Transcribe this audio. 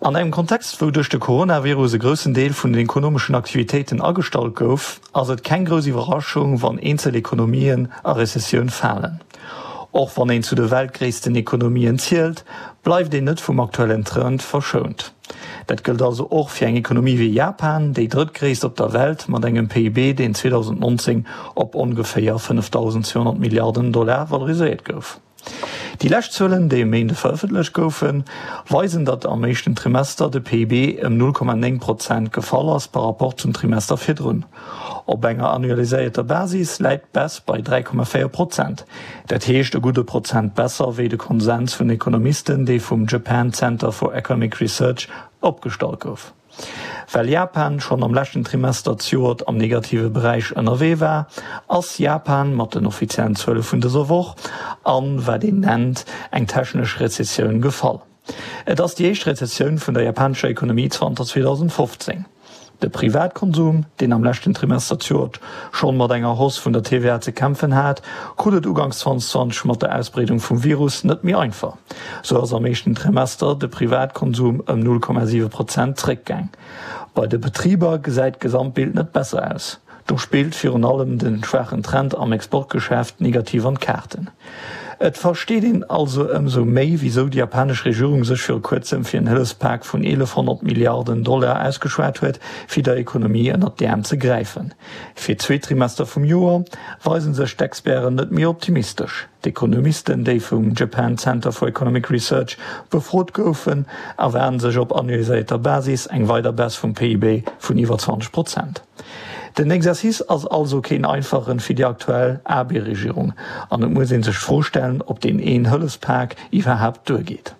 An engem Kontext, wou duerch de Coronavirus e groussen Deel vun den ekonomeschen Aktivitéiten agestallt gouf, ass et keng grouss Iwwerraschung, wann eenzel Ekonomien a Rezessioun falen. Och wann een zu de weltgréissten Ekonomien zielt, bleift een net vum aktuellen Trend verschount. Dat gëllt also och fir eng Ekonomie wéi Japan, déi drëttgréisst op der Welt mat engem PIB, deen 2019 op ongeféier 5.200 Milliarden Dollar valoriséiert gouf. Déi lescht Zuelen, déi e Méinde verëffentlecht goufen, weisen, datt am éischten Trimester de PIB ëm 0,9 Prozent gefall ass par Rapport zum Trimester virdrun. Op enger annualiséierter Basis läit d'Baisse bei 3,4 Prozent, dat heescht e gudde Prozent besser wéi de Konsens vun Ekonomisten, dee vum Japan Center for Economic Research opgestallt gouf. Well Japan schonn am leschten Trimester zejoert am negative Beräich ënnerwee war, ass Japan mat den offiziellen Zuele vun dëser Woch an, wat een nennt, eng technesch Rezessioun gefall. Et ass déi éischt Rezessioun vun der japanescher Ekonomie zanter 2015. De Privatkonsum, deen am leschten Trimester zejoert schonn mat enger Hausse vun der TVA ze kämpfen hat, krut et uganks 2020 mat der Ausbreedung vum Virus net méi einfach. Sou ass am éischten Trimester de Privatkonsum ëm 0,7 Prozent zréckgaang. Bei de Betriber gesäit d'Gesamtbild net besser aus. Do spillt virun allem de schwaachen Trend am Exportgeschäft negativ an d'Kaarten. Et versteet een also ëmsou méi, wisou déi japanesch Regierung sech viru kuerzem fir en Hëllefspak vun 1.100 Milliarden Dollar ausgeschwat huet, fir der Ekonomie ënnert d'Äerm ze gräifen. Fir d'zweet Trimester vum Joer weise sech d'Experten net méi optimistesch. D'Ekonomisten, déi vum Japan Center for Economic Research befrot goufen, erwaarden sech op annualiséierter Basis eng weider Baisse vum PIB vun iwwer 20 Prozent. Den Exercice ass also keen einfachen fir déi aktuell Abe-Regierung an et muss ee sech d'Fro stellen, ob deen een Hëllefspak iwwerhaapt duergeet.